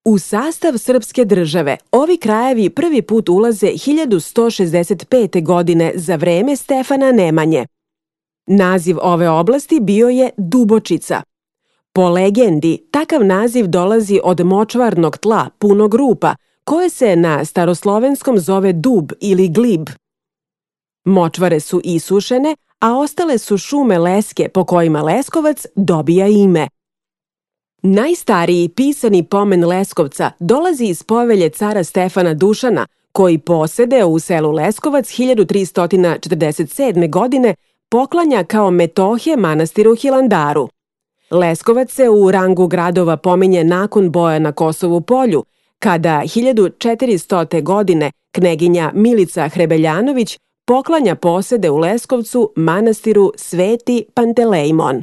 U sastav srpske države ovi krajevi prvi put ulaze 1165. godine za vreme Stefana Nemanje. Naziv ove oblasti bio je Dubočica. Po legendi, takav naziv dolazi od močvarnog tla punog rupa, koje se na staroslovenskom zove dub ili glib. Močvare su isušene, a ostale su šume leske po kojima Leskovac dobija ime. Najstariji pisani pomen Leskovca dolazi iz povelje cara Stefana Dušana, koji posedeo u selu Leskovac 1347. godine poklanja kao metohije manastiru Hilandaru. Leskovac se u rangu gradova pominje nakon boja na Kosovu polju, kada 1400. godine kneginja Milica Hrebeljanović poklanja posede u Leskovcu manastiru Sveti Pantelejmon.